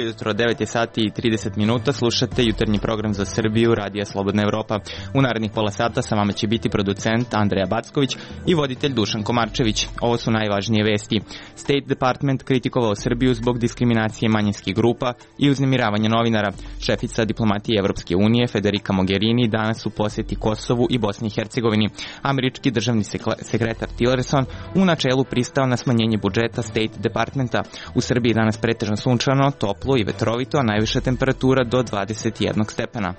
jutro, 9 sati i 30 minuta, slušate jutarnji program za Srbiju, Radija Slobodna Evropa. U narednih pola sata sa vama će biti producent Andreja Backović i voditelj Dušan Komarčević. Ovo su najvažnije vesti. State Department kritikovao Srbiju zbog diskriminacije manjinskih grupa i uznemiravanja novinara. Šefica diplomatije Evropske unije Federica Mogherini danas u poseti Kosovu i Bosni i Hercegovini. Američki državni sekretar Tillerson u načelu pristao na smanjenje budžeta State Departmenta. U Srbiji danas pretežno sunčano, toplo i vetrovito, a najviša temperatura do 21 stepena.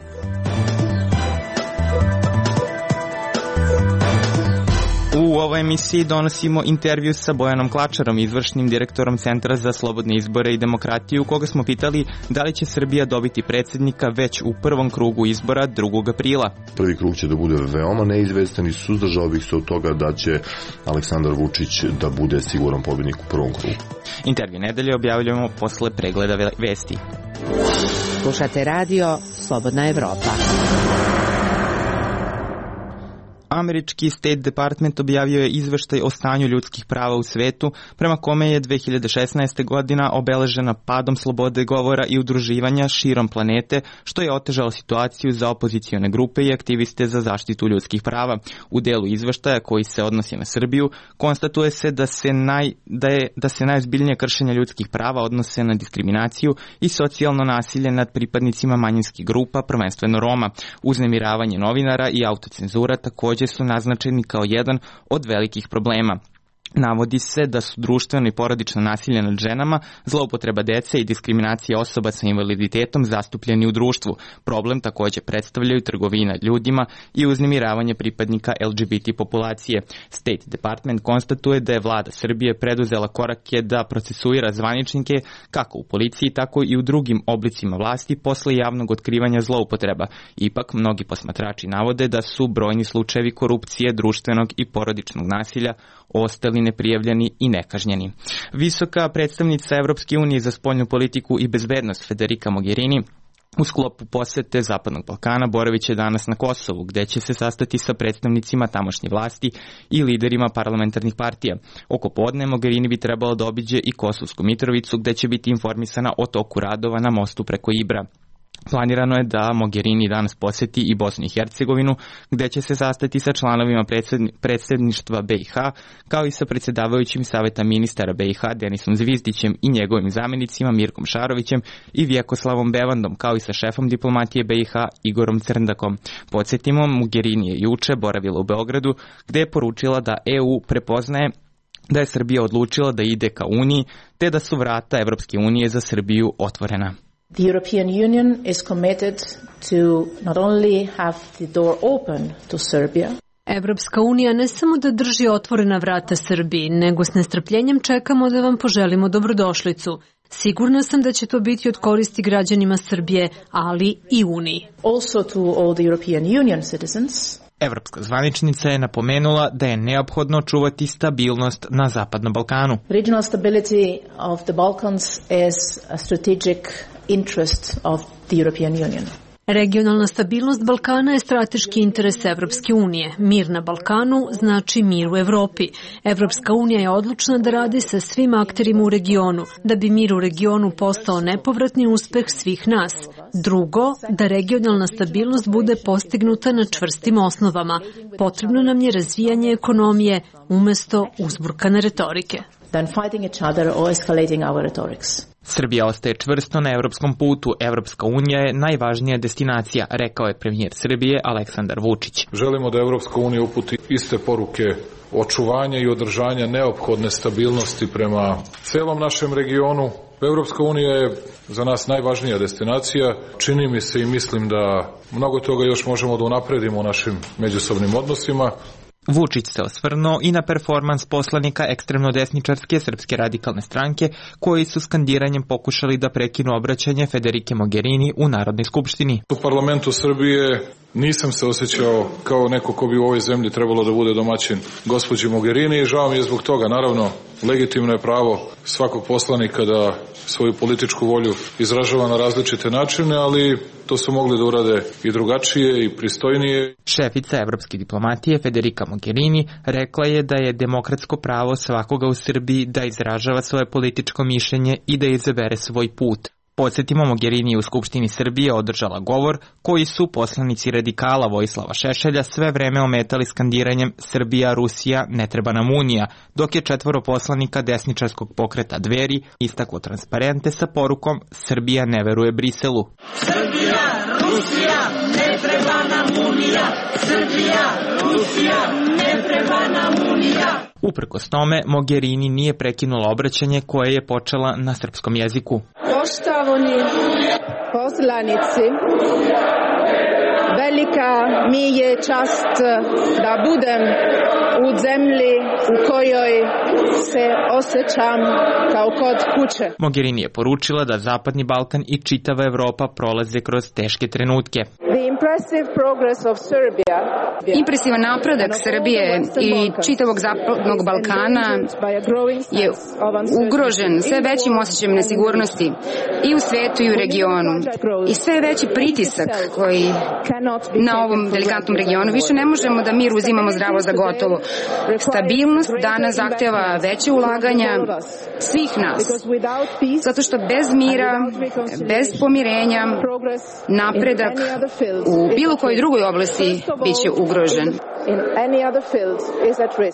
U ovoj emisiji donosimo intervju sa Bojanom Klačarom, izvršnim direktorom Centra za slobodne izbore i demokratiju, koga smo pitali da li će Srbija dobiti predsjednika već u prvom krugu izbora 2. aprila. Prvi krug će da bude veoma neizvestan i suzdržao bih se od toga da će Aleksandar Vučić da bude siguran pobjednik u prvom krugu. Intervju nedelje objavljujemo posle pregleda vesti. Slušate radio Slobodna Evropa. Američki State Department objavio je izveštaj o stanju ljudskih prava u svetu, prema kome je 2016. godina obeležena padom slobode govora i udruživanja širom planete, što je otežalo situaciju za opozicione grupe i aktiviste za zaštitu ljudskih prava. U delu izveštaja koji se odnosi na Srbiju, konstatuje se da se najozbiljnije kršenja ljudskih prava odnose na diskriminaciju i socijalno nasilje nad pripadnicima manjinskih grupa, prvenstveno Roma. Uznemiravanje novinara i autocenzura također su naznačeni kao jedan od velikih problema. Navodi se da su društveno i porodično nasilje nad ženama, zloupotreba dece i diskriminacija osoba sa invaliditetom zastupljeni u društvu. Problem također predstavljaju trgovina ljudima i uznemiravanje pripadnika LGBT populacije. State Department konstatuje da je vlada Srbije preduzela korake da procesuira zvaničnike kako u policiji, tako i u drugim oblicima vlasti posle javnog otkrivanja zloupotreba. Ipak, mnogi posmatrači navode da su brojni slučajevi korupcije, društvenog i porodičnog nasilja ostali neprijavljeni i nekažnjeni. Visoka predstavnica Evropske unije za spoljnu politiku i bezbednost Federica Mogherini u sklopu posete Zapadnog Balkana boraviće danas na Kosovu, gde će se sastati sa predstavnicima tamošnje vlasti i liderima parlamentarnih partija. Oko podne Mogherini bi trebalo da obiđe i Kosovsku Mitrovicu, gde će biti informisana o toku radova na mostu preko Ibra. Planirano je da Mogherini danas poseti i Bosnu i Hercegovinu, gde će se sastati sa članovima predsjedništva BiH, kao i sa predsjedavajućim saveta ministara BiH Denisom Zvizdićem i njegovim zamjenicima Mirkom Šarovićem i Vjekoslavom Bevandom, kao i sa šefom diplomatije BiH Igorom Crndakom. Podsjetimo, Mogherini je juče boravila u Beogradu, gde je poručila da EU prepoznaje da je Srbija odlučila da ide ka Uniji, te da su vrata Evropske unije za Srbiju otvorena. The European Union is committed to not only have the door open to Serbia. Evropska unija ne samo da drži otvorena vrata Srbiji, nego s nestrpljenjem čekamo da vam poželimo dobrodošlicu. Sigurna sam da će to biti od koristi građanima Srbije, ali i Uniji. Also to all the European Union citizens. Evropska zvaničnica je napomenula da je neophodno čuvati stabilnost na Zapadnom Balkanu. Regional stability of the Balkans is a strategic interest of the European Union. Regionalna stabilnost Balkana je strateški interes Evropske unije. Mir na Balkanu znači mir u Evropi. Evropska unija je odlučna da radi sa svim akterima u regionu, da bi mir u regionu postao nepovratni uspeh svih nas. Drugo, da regionalna stabilnost bude postignuta na čvrstim osnovama. Potrebno nam je razvijanje ekonomije umesto uzburkane retorike. Than fighting each other or escalating our rhetorics. Srbija ostaje čvrsto na evropskom putu. Evropska unija je najvažnija destinacija, rekao je premijer Srbije Aleksandar Vučić. Želimo da Evropska unija uputi iste poruke očuvanja i održanja neophodne stabilnosti prema celom našem regionu. Evropska unija je za nas najvažnija destinacija. Čini mi se i mislim da mnogo toga još možemo da unapredimo u našim međusobnim odnosima. Vučić se osvrnuo i na performans poslanika ekstremno desničarske Srpske radikalne stranke, koji su skandiranjem pokušali da prekinu obraćanje Federike Mogherini u Narodnoj skupštini. U parlamentu Srbije nisam se osjećao kao neko ko bi u ovoj zemlji trebalo da bude domaćin gospođi Mogherini i žao mi je zbog toga. Naravno, legitimno je pravo svakog poslanika da svoju političku volju izražava na različite načine, ali to su mogli da urade i drugačije i pristojnije. Šefica evropske diplomatije Federica Mogherini rekla je da je demokratsko pravo svakoga u Srbiji da izražava svoje političko mišljenje i da izabere svoj put. Podsjetimo, Mogherini je u Skupštini Srbije održala govor koji su poslanici radikala Vojislava Šešelja sve vreme ometali skandiranjem Srbija, Rusija, ne treba nam Unija, dok je 4 poslanika desničarskog pokreta Dveri istaklo transparente sa porukom Srbija ne veruje Briselu. Srbija, Rusija, ne treba nam Unija, Srbija, Rusija, ne treba nam Unija. Uprkos tome, Mogherini nije prekinula obraćanje koje je počela na srpskom jeziku. Poštovani poslanici, velika mi je čast da budem u zemlji u kojoj se osjećam kao kod kuće. Mogherini je poručila da Zapadni Balkan i čitava Evropa prolaze kroz teške trenutke. Impresivan napredak Srbije i čitavog Zapadnog Balkana je ugrožen sve većim osjećajem nesigurnosti i u svetu i u regionu. I sve veći pritisak koji na ovom delikatnom regionu. Više ne možemo da mir uzimamo zdravo za gotovo. Stabilnost danas zahteva veće ulaganja svih nas. Zato što bez mira, bez pomirenja, napredak u bilo kojoj drugoj oblasti biće ugrožen.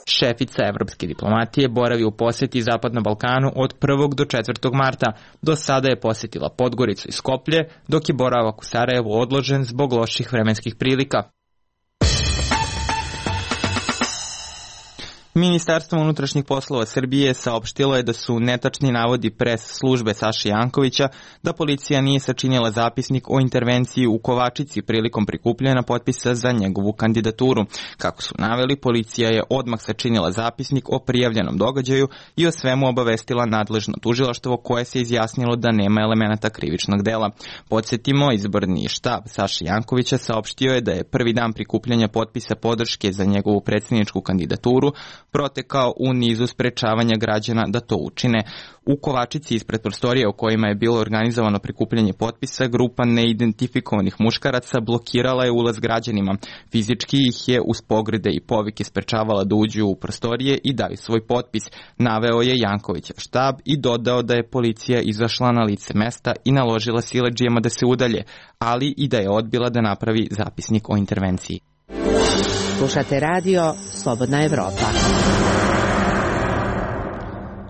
Šefica evropske diplomatije boravi u poseti Zapadnom Balkanu od 1. do 4. marta. Do sada je posetila Podgoricu i Skoplje, dok je boravak u Sarajevu odložen zbog loših vremenskih prilika. Ministarstvo unutrašnjih poslova Srbije saopštilo je da su netačni navodi pres službe Saše Jankovića da policija nije sačinila zapisnik o intervenciji u Kovačici prilikom prikupljanja potpisa za njegovu kandidaturu. Kako su naveli, policija je odmah sačinila zapisnik o prijavljenom događaju i o svemu obavestila nadležno tužilaštvo koje se izjasnilo da nema elemenata krivičnog dela. Podsjetimo, izborni štab Saše Jankovića saopštio je da je prvi dan prikupljanja potpisa podrške za njegovu predsjedničku kandidaturu protekao u nizu sprečavanja građana da to učine. U Kovačici ispred prostorije u kojima je bilo organizovano prikupljanje potpisa, grupa neidentifikovanih muškaraca blokirala je ulaz građanima. Fizički ih je uz pogrede i povike sprečavala da uđu u prostorije i daju svoj potpis, naveo je Jankovićev štab i dodao da je policija izašla na lice mesta i naložila siledžijama da se udalje, ali i da je odbila da napravi zapisnik o intervenciji. Slušate radio Slobodna Evropa.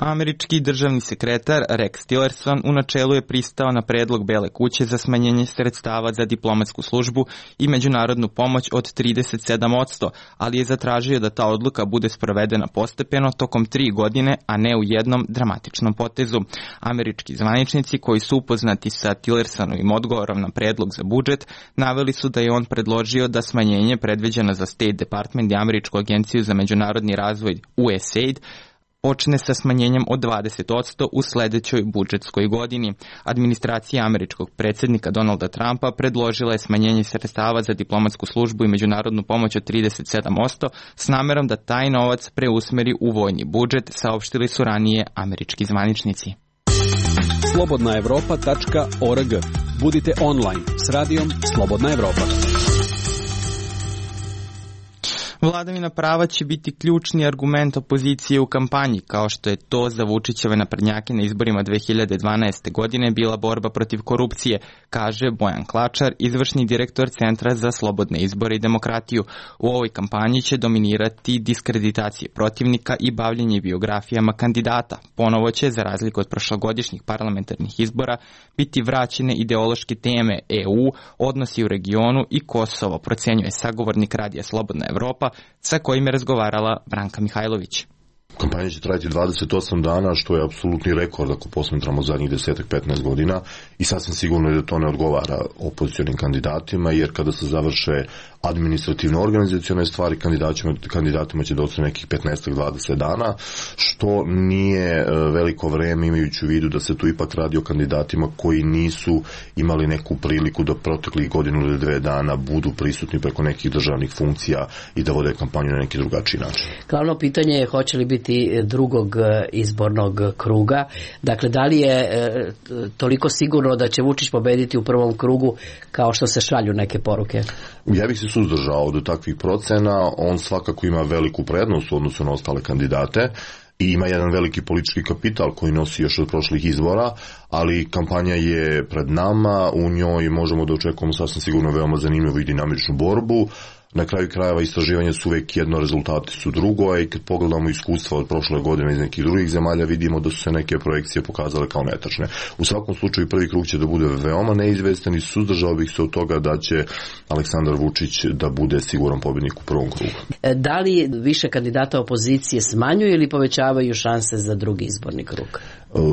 Američki državni sekretar Rex Tillerson u načelu je pristao na predlog Bele kuće za smanjenje sredstava za diplomatsku službu i međunarodnu pomoć od 37%, ali je zatražio da ta odluka bude sprovedena postepeno tokom 3 godine, a ne u jednom dramatičnom potezu. Američki zvaničnici koji su upoznati sa Tillersonovim odgovorom na predlog za budžet naveli su da je on predložio da smanjenje predviđeno za State Department i Američku agenciju za međunarodni razvoj USAID počne sa smanjenjem od 20% u sledećoj budžetskoj godini. Administracija američkog predsjednika Donalda Trumpa predložila je smanjenje sredstava za diplomatsku službu i međunarodnu pomoć od 37% s namerom da taj novac preusmeri u vojni budžet, saopštili su ranije američki zvaničnici. slobodnaevropa.org. Budite online s radijom Slobodna Evropa. Vladavina prava će biti ključni argument opozicije u kampanji, kao što je to za Vučićeve naprednjake na izborima 2012. godine bila borba protiv korupcije, kaže Bojan Klačar, izvršni direktor Centra za slobodne izbore i demokratiju. U ovoj kampanji će dominirati diskreditacije protivnika i bavljenje biografijama kandidata. Ponovo će, za razliku od prošlogodišnjih parlamentarnih izbora, biti vraćene ideološke teme EU, odnosi u regionu i Kosovo, procenjuje sagovornik Radija Slobodna Evropa, sa kojim je razgovarala Branka Mihajlović. Kampanja će trajati 28 dana, što je apsolutni rekord ako posmetramo zadnjih 10-15 godina i sasvim sigurno je da to ne odgovara opozicionim kandidatima, jer kada se završe administrativno-organizacione stvari, kandidatima će doći nekih 15-20 dana, što nije veliko vreme, imajući u vidu da se tu ipak radi o kandidatima koji nisu imali neku priliku da proteklih godinu ili 2 dana budu prisutni preko nekih državnih funkcija i da vode kampanju na neki drugačiji način. Glavno pitanje je hoće li biti drugog izbornog kruga. Dakle, da li je toliko sigurno da će Vučić pobediti u prvom krugu kao što se šalju neke poruke? Ja bih se suzdržao do takvih procena. On svakako ima veliku prednost u odnosu na ostale kandidate i ima jedan veliki politički kapital koji nosi još od prošlih izbora, ali kampanja je pred nama, u njoj možemo da očekujemo sasvim sigurno veoma zanimljivu i dinamičnu borbu. Na kraju krajeva istraživanja su uvek jedno, rezultati su drugo, a i kad pogledamo iskustva od prošle godine iz nekih drugih zemalja, vidimo da su se neke projekcije pokazale kao netačne. U svakom slučaju prvi krug će da bude veoma neizvestan i suzdržao bih se od toga da će Aleksandar Vučić da bude siguran pobjednik u prvom krugu. Da li više kandidata opozicije smanjuju ili povećavaju šanse za drugi izborni krug?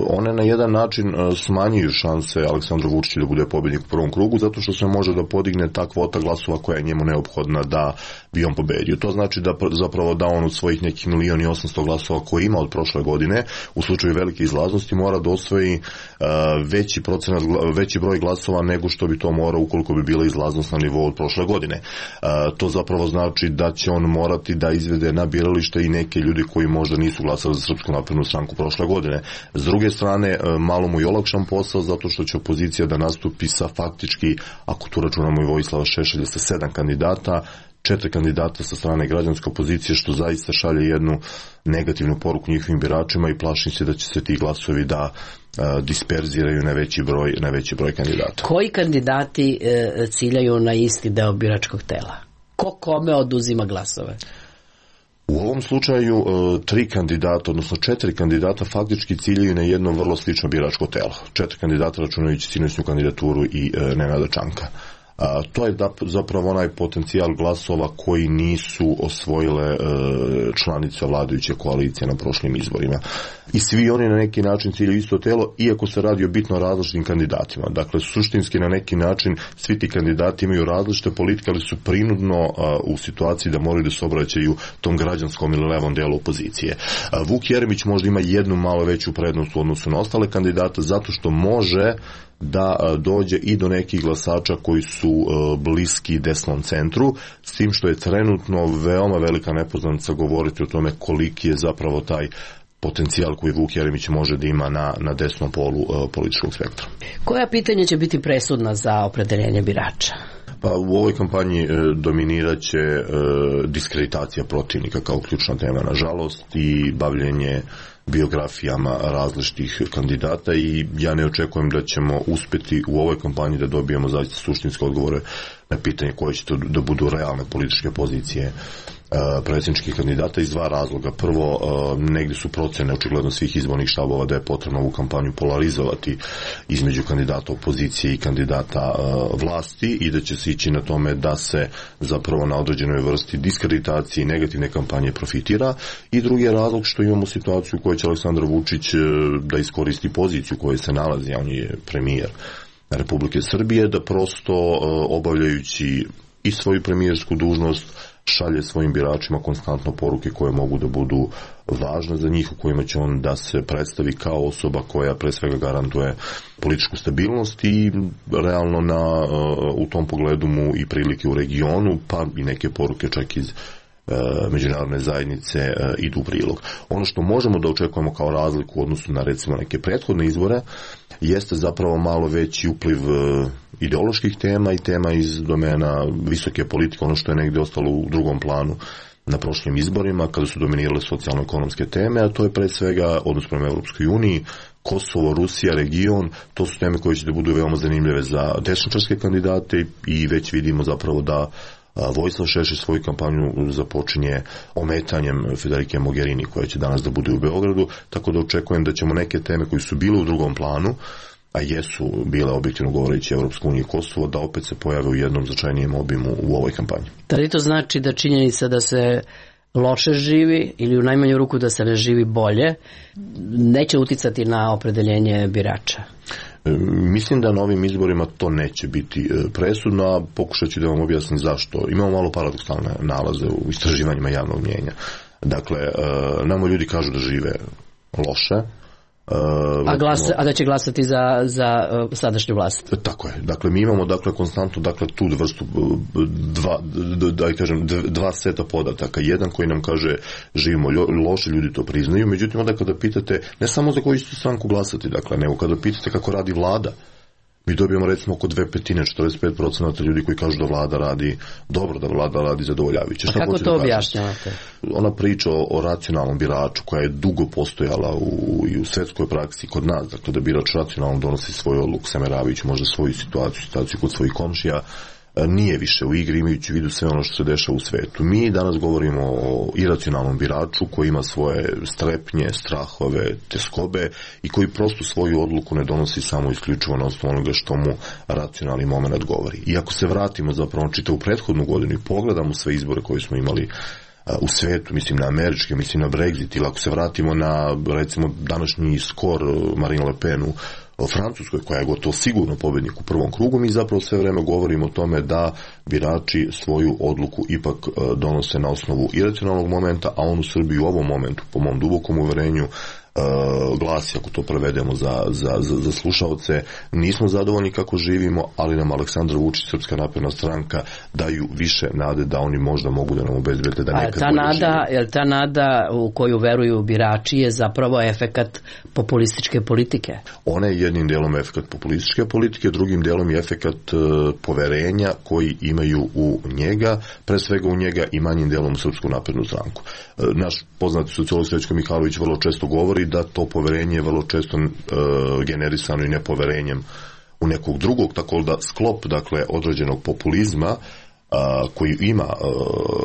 One na jedan način smanjuju šanse Aleksandru Vučiću da bude pobjednik u prvom krugu, zato što se može da podigne ta kvota glasova koja je njemu neophodna da bi on pobedio. To znači da zapravo da on od svojih nekih 1.800.000 glasova koje ima od prošle godine, u slučaju velike izlaznosti, mora da osvoji veći broj glasova nego što bi to morao ukoliko bi bila izlaznost na nivou od prošle godine. To zapravo znači da će on morati da izvede na biralište i neke ljudi koji možda nisu glasali za Srpsku naprednu stranku prošle godine. S druge strane, malo mu je olakšan posao zato što će opozicija da nastupi sa faktički, ako tu računamo i Vojislava Šešelja, sa 7 kandidata, 4 kandidata sa strane građanske opozicije, što zaista šalje jednu negativnu poruku njihovim biračima i plašim se da će se ti glasovi da disperziraju na veći broj kandidata. Koji kandidati ciljaju na isti deo biračkog tela? Ko kome oduzima glasove? U ovom slučaju 3 kandidata, odnosno 4 kandidata faktički ciljaju na jedno vrlo slično biračko telo. 4 kandidata računajući sinoćnu kandidaturu i Nenada Čanka. To je zapravo onaj potencijal glasova koji nisu osvojile članice vladajuće koalicije na prošlim izborima. I svi oni na neki način ciljaju isto telo, iako se radi o bitno različitim kandidatima. Dakle, suštinski na neki način svi ti kandidati imaju različite politike, ali su prinudno u situaciji da moraju da se obraćaju tom građanskom ili levom delu opozicije. Vuk Jeremić možda ima jednu malo veću prednost u odnosu na ostale kandidate, zato što može da dođe i do nekih glasača koji su bliski desnom centru, s tim što je trenutno veoma velika nepoznanica govoriti o tome koliki je zapravo taj potencijal koji Vuk Jeremić može da ima na desnom polu političkog spektra. Koja pitanja će biti presudna za opredeljenje birača? Pa u ovoj kampanji dominiraće diskreditacija protivnika kao ključna tema, nažalost, i bavljenje biografijama različitih kandidata i ja ne očekujem da ćemo uspeti u ovoj kampanji da dobijemo zaista suštinske odgovore na pitanje koje će da budu realne političke pozicije predsjedničkih kandidata iz 2 razloga. Prvo, negdje su procene očigledno svih izbornih štabova da je potrebno ovu kampanju polarizovati između kandidata opozicije i kandidata vlasti i da će se ići na tome da se zapravo na određenoj vrsti diskreditacije i negativne kampanje profitira. I drugi je razlog što imamo situaciju u kojoj će Aleksandar Vučić da iskoristi poziciju u kojoj se nalazi, a on je premijer Republike Srbije, da prosto obavljajući i svoju premijersku dužnost šalje svojim biračima konstantno poruke koje mogu da budu važne za njih, u kojima će on da se predstavi kao osoba koja pre svega garantuje političku stabilnost i realno u tom pogledu mu i prilike u regionu, pa i neke poruke čak iz međunarodne zajednice idu u prilog. Ono što možemo da očekujemo kao razliku u odnosu na recimo neke prethodne izbore jeste zapravo malo veći upliv ideoloških tema i tema iz domena visoke politike, ono što je negdje ostalo u drugom planu na prošlim izborima kada su dominirale socijalno-ekonomske teme, a to je pre svega odnos prema Evropskoj uniji, Kosovo, Rusija, region, to su teme koje će da budu veoma zanimljive za desničarske kandidate i već vidimo zapravo da Vojislav Šešelj svoju kampanju započinje ometanjem Federike Mogherini koja će danas da bude u Beogradu, tako da očekujem da ćemo neke teme koje su bile u drugom planu, a jesu bile objektivno govoreći Evropska unija i Kosovo, da opet se pojave u jednom značajnijem obimu u ovoj kampanji. Da li to znači da činjenica da se loše živi ili u najmanju ruku da se ne živi bolje neće uticati na opredeljenje birača? Mislim da na ovim izborima to neće biti presudno, a pokušat ću da vam objasnim zašto. Imamo malo paradoksalne nalaze u istraživanjima javnog mnijenja. Dakle, nama ljudi kažu da žive loše, a da će glasati za sadašnju vlast. Tako je. Dakle, mi imamo konstantno tu vrstu dva seta podataka. Jedan koji nam kaže živimo loše, ljudi to priznaju, međutim onda kada pitate ne samo za koju ćete stranku glasati, nego kada pitate kako radi vlada, mi dobijemo recimo oko 2/5, 45% ljudi koji kažu da vlada radi dobro, da vlada radi zadovoljavajuće. A kako to objašnjavate? Ona priča o racionalnom biraču koja je dugo postojala i u svetskoj praksi kod nas, dakle da birač racionalno donosi svoju odluku sameravajući možda svoju situaciju kod svojih komšija, nije više u igri imajući u vidu sve ono što se dešava u svetu. Mi danas govorimo o iracionalnom biraču koji ima svoje strepnje, strahove, teskobe i koji prosto svoju odluku ne donosi samo isključivo na osnovu onoga što mu racionalni moment govori. I ako se vratimo zapravo čitavu prethodnu godinu i pogledamo sve izbore koje smo imali u svetu, mislim na američke, mislim na Brexit, ili ako se vratimo na recimo današnji skor Marine Le Pen u Francuskoj, koja je gotovo sigurno pobednik u prvom krugu, mi zapravo sve vreme govorimo o tome da birači svoju odluku ipak donose na osnovu iracionalnog momenta, a on u Srbiji u ovom momentu, po mom dubokom uverenju, glasi, ako to prevedemo za slušaoce, nismo zadovoljni kako živimo, ali nam Aleksandar Vučić, Srpska napredna stranka daju više nade da oni možda mogu da nam obezbede da nekad bolje živimo. Ta nada u koju veruju birači je zapravo efekat populističke politike? Ona je jednim delom efekat populističke politike, drugim delom je efekat poverenja koji imaju u njega, pre svega u njega i manjim delom u Srpsku naprednu stranku. Naš poznati sociolog Srećko Mihajlović vrlo često govori da to poverenje je vrlo često generisano i nepoverenjem u nekog drugog, tako da sklop, dakle, određenog populizma koji ima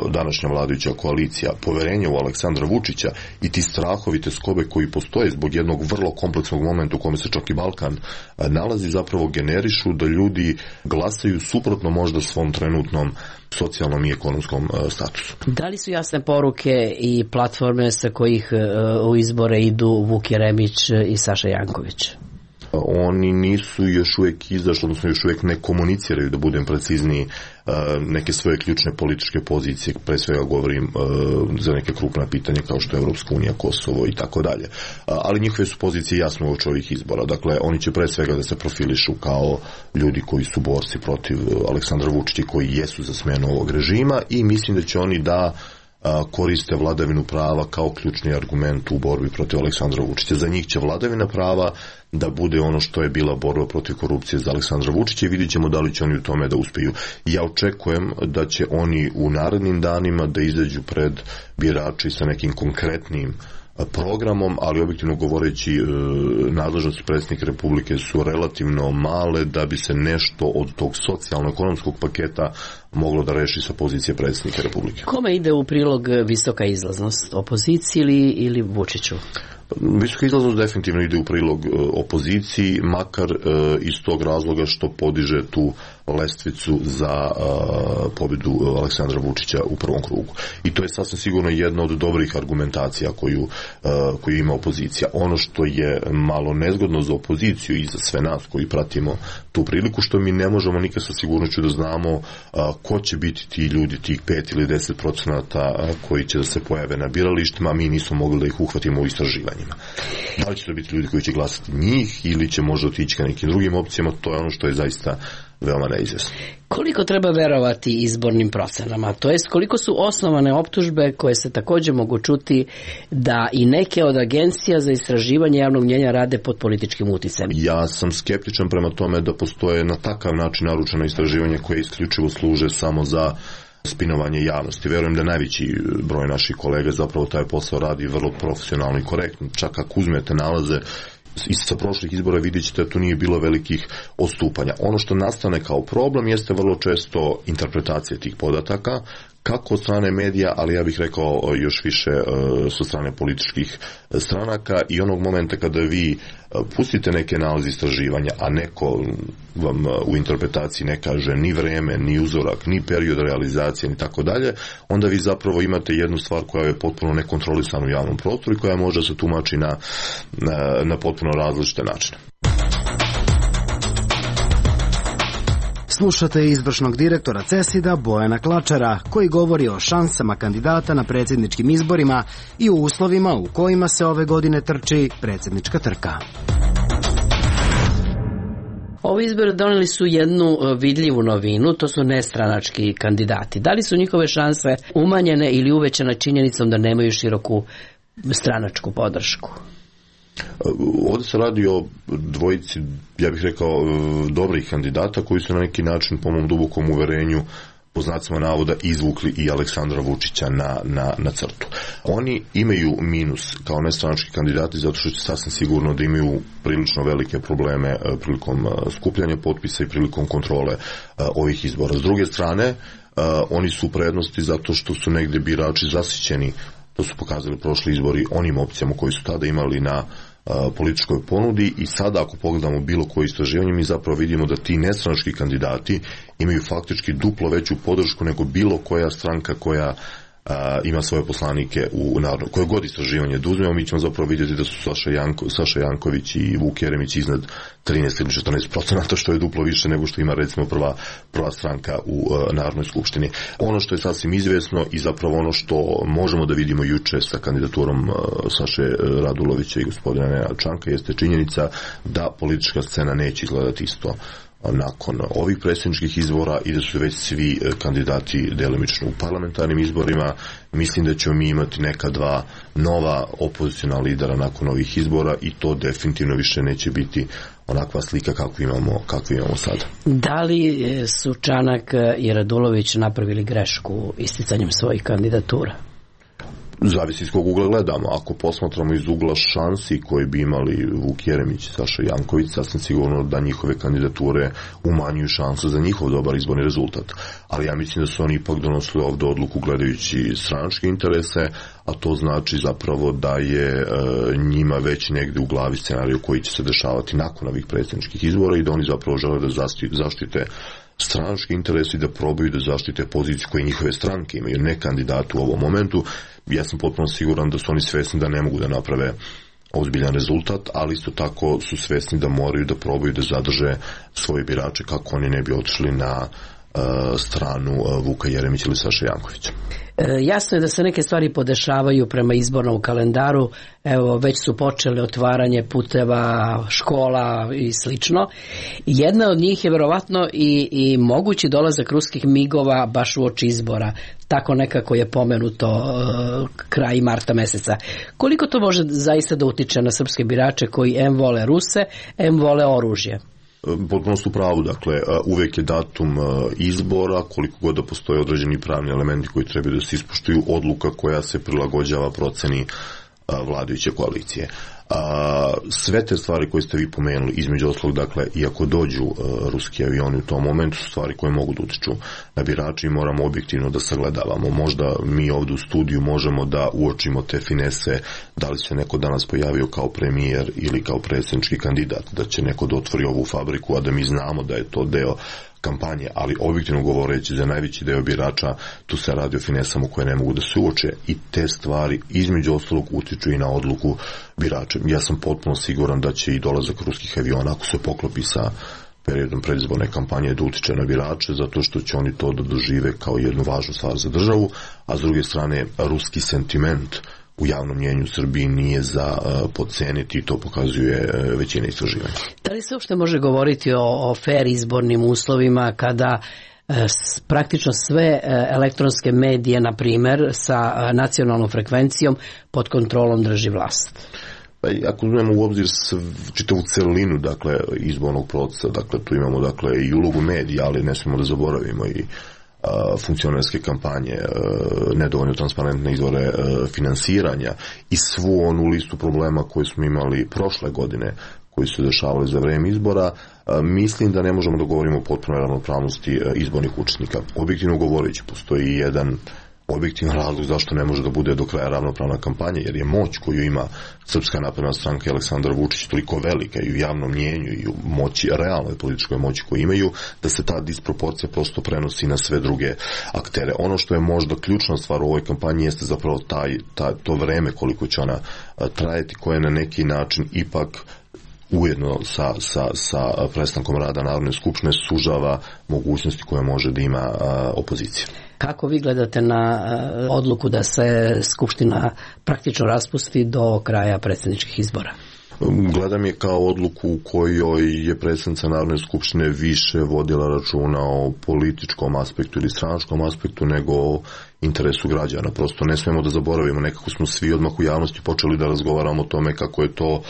današnja vladajuća koalicija, poverenje u Aleksandra Vučića i ti strahovi, te skobe koji postoje zbog jednog vrlo kompleksnog momenta u kome se čak i Balkan nalazi, zapravo generišu da ljudi glasaju suprotno možda svom trenutnom socijalnom i ekonomskom statusu. Da li su jasne poruke i platforme sa kojih u izbore idu Vuk Jeremić i Saša Janković? Oni nisu još uvijek izašli, odnosno još uvijek ne komuniciraju, da budem precizniji, neke svoje ključne političke pozicije, pre svega govorim za neke krupna pitanja kao što je Evropska unija, Kosovo i tako dalje. Ali njihove su pozicije jasno uoči ovih izbora. Dakle, oni će pre svega da se profilišu kao ljudi koji su borci protiv Aleksandra Vučića, koji jesu za smenu ovog režima, i mislim da će oni da koriste vladavinu prava kao ključni argument u borbi protiv Aleksandra Vučića. Za njih će vladavina prava da bude ono što je bila borba protiv korupcije za Aleksandra Vučića i vidjet ćemo da li će oni u tome da uspeju. Ja očekujem da će oni u narednim danima da izađu pred birači sa nekim konkretnim programom, ali objektivno govoreći nadležnosti predsjednika Republike su relativno male da bi se nešto od tog socijalno-ekonomskog paketa moglo da reši sa pozicije predsjednika Republike. Kome ide u prilog visoka izlaznost? Opoziciji ili Vučiću? Visoka izlaznost definitivno ide u prilog opoziciji, makar iz tog razloga što podiže tu lestvicu za pobjedu Aleksandra Vučića u prvom krugu. I to je sasvim sigurno jedna od dobrih argumentacija koju ima opozicija. Ono što je malo nezgodno za opoziciju i za sve nas koji pratimo tu priliku, što mi ne možemo nikad sa sigurnošću da znamo ko će biti ti ljudi, tih 5 ili 10% koji će da se pojave na biralištima, a mi nismo mogli da ih uhvatimo u istraživanjima. Da li će to biti ljudi koji će glasati njih ili će možda otići ka nekim drugim opcijama, to je ono što je zaista veoma neizvesno. Koliko treba verovati izbornim procenama? To jest koliko su osnovane optužbe koje se također mogu čuti da i neke od agencija za istraživanje javnog mnjenja rade pod političkim uticajem? Ja sam skeptičan prema tome da postoje na takav način naručena istraživanja koje isključivo služe samo za spinovanje javnosti. Verujem da najveći broj naših kolega zapravo taj posao radi vrlo profesionalno i korektno. Čak ako uzmete nalaze sa prošlih izbora vidjet ćete da tu nije bilo velikih odstupanja. Ono što nastane kao problem jeste vrlo često interpretacija tih podataka, kako od strane medija, ali ja bih rekao još više sa strane političkih stranaka, i onog momenta kada vi pustite neke nalaze istraživanja, a neko vam u interpretaciji ne kaže ni vreme, ni uzorak, ni period realizacije, ni tako dalje, onda vi zapravo imate jednu stvar koja je potpuno nekontrolisana u javnom prostoru i koja može se tumači na potpuno različite načine. Slušate izvršnog direktora CESID-a Bojana Klačara, koji govori o šansama kandidata na predsjedničkim izborima i o uslovima u kojima se ove godine trči predsjednička trka. Ovi izbori doneli su jednu vidljivu novinu, to su nestranački kandidati. Da li su njihove šanse umanjene ili uvećane činjenicom da nemaju široku stranačku podršku? Ovdje se radi o dvojici, ja bih rekao, dobrih kandidata koji su na neki način, po mom dubokom uverenju, po znacima navoda, izvukli i Aleksandra Vučića na crtu. Oni imaju minus kao nestranački kandidati zato što će sasvim sigurno da imaju prilično velike probleme prilikom skupljanja potpisa i prilikom kontrole ovih izbora. S druge strane, oni su u prednosti zato što su negdje birači zasićeni, to su pokazali prošli izbori, onim opcijama koji su tada imali na političkoj ponudi i sada ako pogledamo bilo koje istraživanje mi zapravo vidimo da ti nestranački kandidati imaju faktički duplo veću podršku nego bilo koja stranka koja ima svoje poslanike u narodu. Koje god istraživanje da uzmemo, mi ćemo zapravo vidjeti da su Saša Janković i Vuk Jeremić iznad 13 ili 14%, što je duplo više nego što ima recimo prva stranka u Narodnoj skupštini. Ono što je sasvim izvesno i zapravo ono što možemo da vidimo juče sa kandidaturom Saše Radulovića i gospodina Nenada Čanka jeste činjenica da politička scena neće izgledati isto nakon ovih predsjedničkih izbora i da su već svi kandidati delimično u parlamentarnim izborima. Mislim da ćemo mi imati neka dva nova opozicijna lidera nakon ovih izbora i to definitivno više neće biti onakva slika kakvu imamo sada. Da li su Čanak i Radulović napravili grešku isticanjem svojih kandidatura? Zavisi iz kog ugla gledamo. Ako posmatramo iz ugla šansi koje bi imali Vuk Jeremić i Saša Janković, sasvim sigurno da njihove kandidature umanjuju šansu za njihov dobar izborni rezultat. Ali ja mislim da su oni ipak donosili ovdje odluku gledajući stranačke interese, a to znači zapravo da je njima već negdje u glavi scenariju koji će se dešavati nakon ovih predsjedničkih izbora i da oni zapravo žele da zaštite stranački interes i da probaju da zaštite poziciju koje njihove stranke imaju, ne kandidatu u ovom momentu. Ja sam potpuno siguran da su oni svesni da ne mogu da naprave ozbiljan rezultat, ali isto tako su svesni da moraju da probaju da zadrže svoje birače kako oni ne bi otišli na stranu Vuka Jeremića ili Saša Jankovića. Jasno je da se neke stvari podešavaju prema izbornom kalendaru. Evo, već su počeli otvaranje puteva, škola i slično. Jedna od njih je verovatno i mogući dolazak ruskih migova baš u oči izbora. Tako nekako je pomenuto kraj marta meseca. Koliko to može zaista da utiče na srpske birače koji em vole Ruse, em vole oružje? Potpuno su pravu, dakle, uvijek je datum izbora, koliko god da postoje određeni pravni elementi koji trebaju da se ispoštuju, odluka koja se prilagođava proceni vladajuće koalicije. Sve te stvari koje ste vi pomenuli, između ostalog, dakle, iako dođu ruski avioni u tom momentu, su stvari koje mogu da utiču na birače i moramo objektivno da sagledavamo. Možda mi ovdje u studiju možemo da uočimo te finese, da li se neko danas pojavio kao premijer ili kao predsjednički kandidat, da će neko da otvori ovu fabriku, a da mi znamo da je to deo kampanje, ali objektivno govoreći za najveći deo birača tu se radi o finesama koje ne mogu da se uoče i te stvari između ostalog utiču i na odluku birača. Ja sam potpuno siguran da će i dolazak ruskih aviona, ako se poklopi sa periodom predizborne kampanje, da utiče na birače, zato što će oni to da dožive kao jednu važnu stvar za državu, a s druge strane ruski sentiment u javnom mnjenju u Srbiji nije za podceniti i to pokazuje većina istraživanja. Da li se uopšte može govoriti o fair izbornim uslovima kada praktično sve elektronske medije, na primjer, sa nacionalnom frekvencijom pod kontrolom drži vlast? Ako uzmemo u obzir čitavu celinu, dakle, izbornog procesa, dakle, tu imamo, dakle, i ulogu medija, ali ne smijemo da zaboravimo i funkcionerske kampanje, nedovoljno transparentne izvore finansiranja i svu onu listu problema koju smo imali prošle godine, koji su se dešavali za vreme izbora, mislim da ne možemo da govorimo o potpunoj ravnopravnosti izbornih učesnika. Objektivno govoreći, postoji jedan objektivan razlog zašto ne može da bude do kraja ravnopravna kampanja, jer je moć koju ima Srpska napredna stranka i Aleksandar Vučić toliko velika i u javnom mnjenju i u moći, realnoj političkoj moći koju imaju, da se ta disproporcija prosto prenosi na sve druge aktere. Ono što je možda ključna stvar u ovoj kampanji jeste zapravo to vreme koliko će ona trajati, koje na neki način ipak ujedno sa prestankom rada Narodne skupštine sužava mogućnosti koje može da ima opozicija. Kako vi gledate na odluku da se Skupština praktično raspusti do kraja predsjedničkih izbora? Gledam je kao odluku u kojoj je predsjednica Narodne skupštine više vodila računa o političkom aspektu ili stranačkom aspektu nego o interesu građana. Prosto ne smijemo da zaboravimo, nekako smo svi odmah u javnosti počeli da razgovaramo o tome kako je to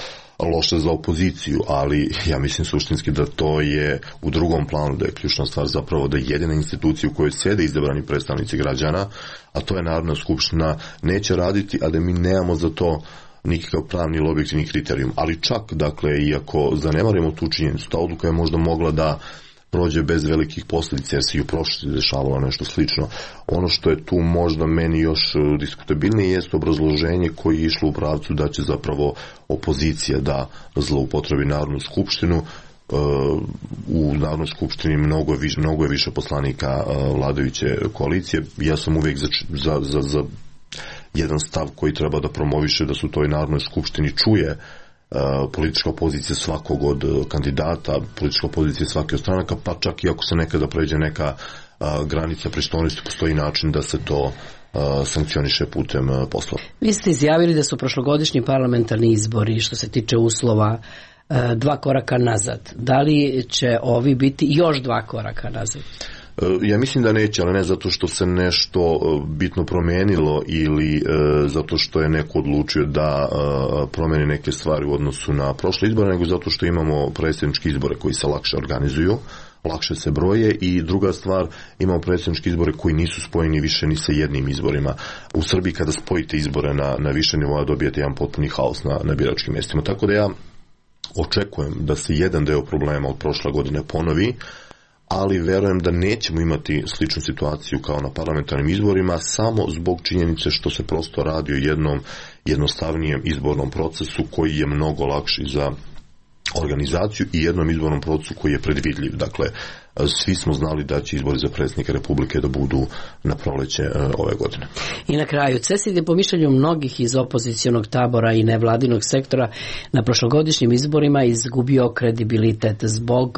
loše za opoziciju, ali ja mislim suštinski da to je u drugom planu, da je ključna stvar zapravo da jedina institucija u kojoj sjede izabrani predstavnici građana, a to je Narodna skupština, neće raditi, a da mi nemamo za to nikakav pravni ili objektivni kriterijum. Ali čak, dakle, iako zanemarimo tu činjenicu, ta odluka je možda mogla da prođe bez velikih posljedica, jer se i u prošlosti dešavalo nešto slično. Ono što je tu možda meni još diskutabilnije jeste obrazloženje koje je išlo u pravcu da će zapravo opozicija da zloupotrebi Narodnu skupštinu. U Narodnoj skupštini mnogo je više poslanika vladajuće koalicije. Ja sam uvijek za jedan stav koji treba da promoviše da su toj Narodnoj skupštini čuje politička opozicija svakog od kandidata, politička opozicija svake od stranaka, pa čak i ako se nekada pređe neka granica pristojnosti, postoji način da se to sankcioniše putem poslova. Vi ste izjavili da su prošlogodišnji parlamentarni izbori, što se tiče uslova, 2 koraka nazad. Da li će ovi biti još 2 koraka nazad? Ja mislim da neće, ali ne zato što se nešto bitno promenilo ili zato što je neko odlučio da promeni neke stvari u odnosu na prošle izbore, nego zato što imamo predsjedničke izbore koji se lakše organizuju, lakše se broje i druga stvar, imamo predsjedničke izbore koji nisu spojeni više ni sa jednim izborima. U Srbiji kada spojite izbore na više nivoa dobijete jedan potpuni haos na biračkim mjestima. Tako da ja očekujem da se jedan deo problema od prošle godine ponovi, ali verujem da nećemo imati sličnu situaciju kao na parlamentarnim izborima samo zbog činjenice što se prosto radi o jednom jednostavnijem izbornom procesu koji je mnogo lakši za organizaciju i jednom izbornom procesu koji je predvidljiv. Dakle, svi smo znali da će izbori za predsjednika Republike da budu na proleće ove godine. I na kraju, CESID je po mišljenju mnogih iz opozicionog tabora i nevladinog sektora na prošlogodišnjim izborima izgubio kredibilitet zbog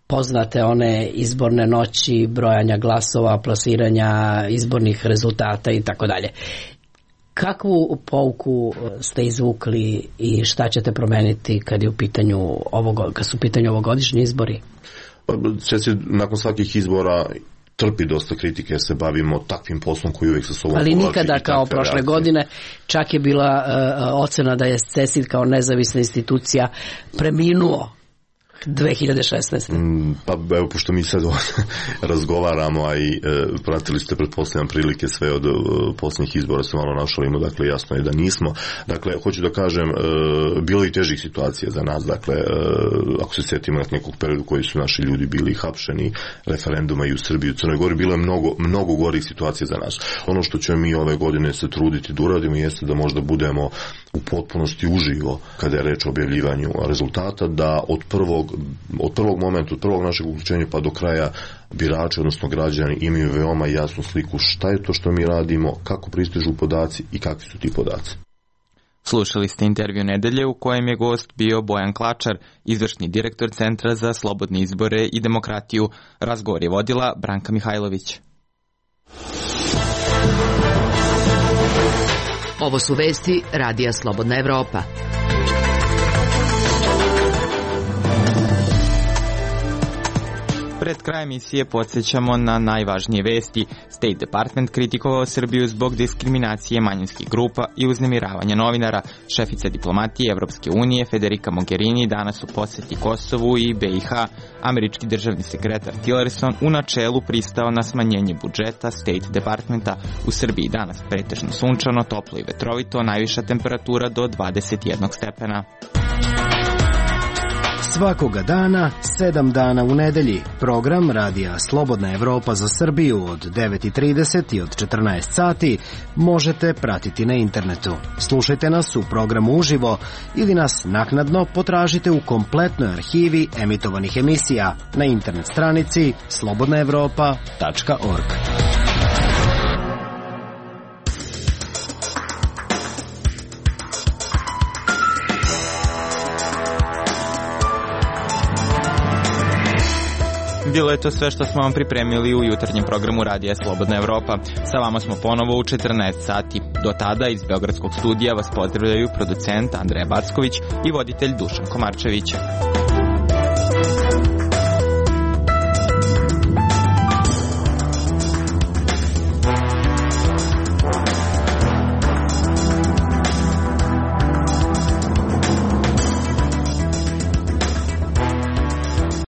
poznate one izborne noći, brojanja glasova, plasiranja izbornih rezultata i tako dalje. Kakvu pouku ste izvukli i šta ćete promeniti kad su u pitanju ovogodišnji izbori? CESID nakon svakih izbora trpi dosta kritike jer se bavimo takvim poslom koji uvijek sa sobom ali nikada kao prošle godine, čak je bila ocena da je CESID kao nezavisna institucija preminuo 2016. Pa evo, pošto mi sad razgovaramo, a i pratili ste pretpostavljam prilike sve od posljednjih izbora, se malo našalimo, dakle jasno je da nismo. Dakle, hoću da kažem, bilo i težih situacija za nas, dakle, ako se sjetimo nekog periodu koji su naši ljudi bili hapšeni, referenduma i u Srbiji, u Crnoj Gori, bilo je mnogo gorih situacija za nas. Ono što ćemo mi ove godine se truditi da uradimo jeste da možda budemo u potpunosti uživo kada je reč o objavljivanju rezultata, da od prvog momenta, od prvog našeg uključenja pa do kraja birači, odnosno građani, imaju veoma jasnu sliku šta je to što mi radimo, kako pristižu podaci i kakvi su ti podaci. Slušali ste intervju nedelje u kojem je gost bio Bojan Klačar, izvršni direktor Centra za slobodne izbore i demokratiju. Razgovor je vodila Branka Mihajlović. Ovo su vesti Radija Slobodna Evropa. Pred kraj emisije podsjećamo na najvažnije vesti. State Department kritikovao Srbiju zbog diskriminacije manjinskih grupa i uznemiravanja novinara. Šefica diplomatije Evropske unije Federica Mogherini danas u posjeti Kosovu i BiH. Američki državni sekretar Tillerson u načelu pristao na smanjenje budžeta State Departmenta. U Srbiji danas pretežno sunčano, toplo i vetrovito, najviša temperatura do 21 stepena. Svakoga dana, 7 dana u nedelji, program Radija Slobodna Evropa za Srbiju od 9:30 i od 14 sati možete pratiti na internetu. Slušajte nas u programu uživo ili nas naknadno potražite u kompletnoj arhivi emitovanih emisija na internet stranici slobodnaevropa.org. Bilo je to sve što smo vam pripremili u jutarnjem programu Radija Slobodna Evropa. Sa vama smo ponovo u 14 sati. Do tada iz Beogradskog studija vas pozdravljaju producent Andreja Backović i voditelj Dušan Komarčević.